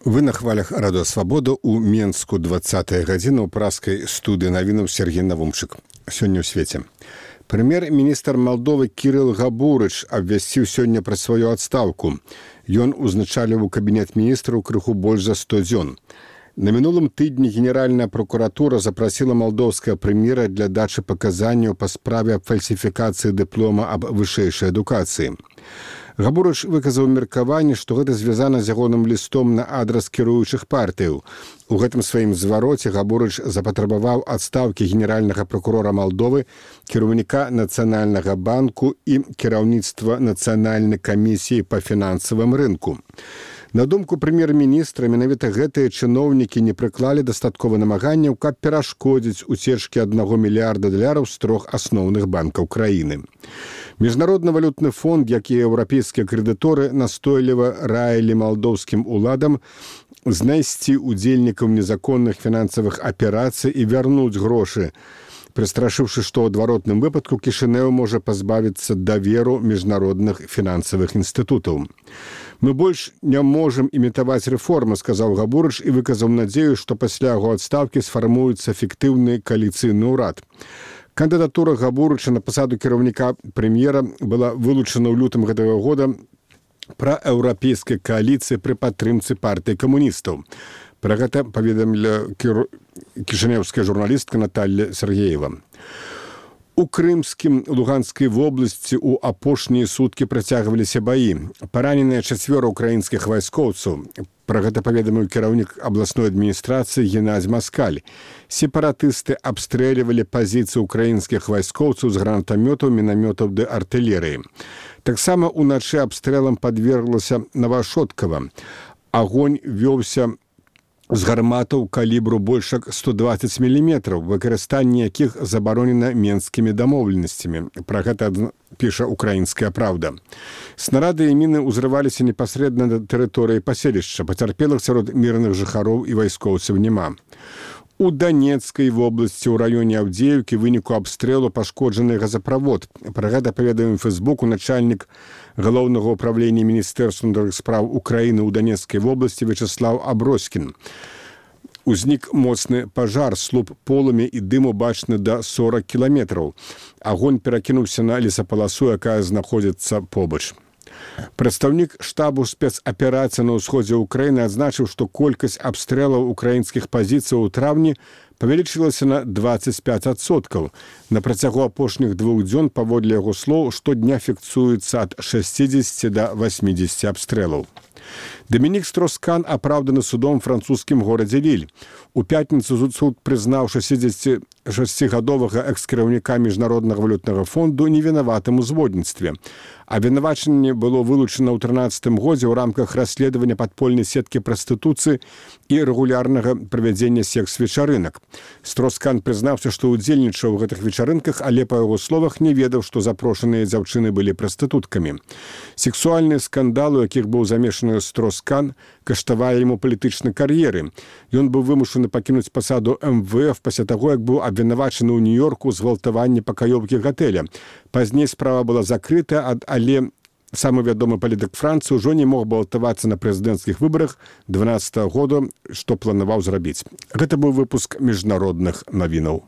Вы на хвалях радыё Свабода ў Менску 20 гадзіна ў праскай студыі навінаў Сергей Навумчык. Сёння ў свеце. Прэм'ер-міністр Малдовы Кірыл Габурыч абвясціў сёння пра сваю адстаўку. Ён узначаліў кабінет міністраў крыху больш за 100 дзён. На мінулым тыдні Генеральная прокуратура запрасіла малдоўскага прэм'ера для дачы паказанняў па справе аб фальсіфікацыі дыплома аб вышэйшай адукацыі. Габурыч выказаў меркаванне, што гэта звязана з ягоным лістом на адрас кіруючых партыяў. У гэтым сваім звароце Габурыч запатрабаваў адстаўкі генеральнага прокурора Малдовы, кіраўніка Нацыянальнага банку і кіраўніцтва Нацыянальнай камісіі па фінансавым рынку. На думку прэм'ер-міністра, менавіта гэтыя чыноўнікі не прыклалі дастаткова намаганняў, каб перашкодзіць уцечкі $1 мільярда з 3 асноўных банкаў краіны. Міжнародны валютны фонд, як і еўрапейскія крэдыторы, настойліва раілі малдоўскім уладам знайсці удзельнікаў незаконных фінансавых аперацый і вярнуць грошы, прыстрашыўшы, што ў адваротным выпадку Кішынеў можа пазбавіцца даверу міжнародных фінансавых інстытутаў. «Мы больш не можам імітаваць рэформы», сказаў Габурыч і выказаў надзею, што пасля яго адстаўкі сфармуецца эфектыўны кааліцыйны ўрад. Кандыдатура Габурыча на пасаду кіраўніка прэм'ера была вылучана ў лютым гэтага года праеўрапейскай кааліцыі пры падтрымцы партыі камуністаў. Пра гэта паведаміла кішынеўская журналістка Наталья Сергеева. У Крымскім, Луганскай вобласці ў апошнія суткі працягваліся баі. Параненыя 4 украінскіх вайскоўцаў. Пра гэта паведаміў кіраўнік абласной адміністрацыі Геннадзь Маскаль. Сепаратысты абстрэльвалі пазіцыі украінскіх вайскоўцаў з гранатамётаў, мінамётаў ды артылерыі. Таксама ўначы абстрэлам падверглася Новашоткава. Агонь вёўся з гарматаў калібру больш як 120 мм, выкарыстанне якіх забаронена менскімі дамоўленасцямі. Пра гэта піша «Украінская праўда». Снарады і міны ўзрываліся непасрэдна на тэрыторыі паселішча. Пацярпелых сярод мірных жыхароў і вайскоўцаў няма. У Данецкай вобласці ў раёне Аўдзеўкі выніку абстрэлу пашкоджаны газаправод. Пра гэта паведаміў у Фэйсбуку начальнік галоўнага ўправлення Міністэрства ўнутраных спраў Украіны ў Данецкай вобласці Вячеслав Аброськін. Узнік моцны пажар, слуп полымя і дыму бачны да 40 кіламетраў. Агонь перакінуўся на лесапаласу, якая знаходзіцца побач. Прадстаўнік штабу спецаперацыі на ўсходзе ўкраіны адзначыў, што колькасць абстрэлаў украінскіх пазіцый у траўні павялічылася на 25%. На працягу апошніх 2 дзён, паводле яго слоў, штодня фіксуецца ад 60 да 80 абстрэлаў. Дамінік Строскан апраўданы судом французскім горадзе Ліль. У пятніцу суд прызнаў 66-гадовага экс-кіраўніка Міжнароднага валютнага фонду невінаватым у зводніцтве. Абвінавачанне было вылучана ў 2013 годзе ў рамках расследавання падпольнай сеткі прастытуцыі і рэгулярнага правядзення секс-вечарынак. Строскан прызнаўся, што ўдзельнічаў у гэтых вечарынках, але па яго словах не ведаў, што запрошаныя дзяўчыны былі прастытуткамі. Сексуальныя скандалы, у якіх быў замешаны Строскан, каштавалі яму палітычнай кар'еры. Ён быў вымушаны пакінуць пасаду МВФ пасля таго, як быў абвінавачаны ў Нью-Йорку згвалтаванні пакаёўкі гатэля. Пазней справа была закрыта, але самы вядомы палітык Францыі ўжо не мог балатавацца на прэзідэнцкіх выбарах 2012 года, што планаваў зрабіць. Гэта быў выпуск міжнародных навінаў.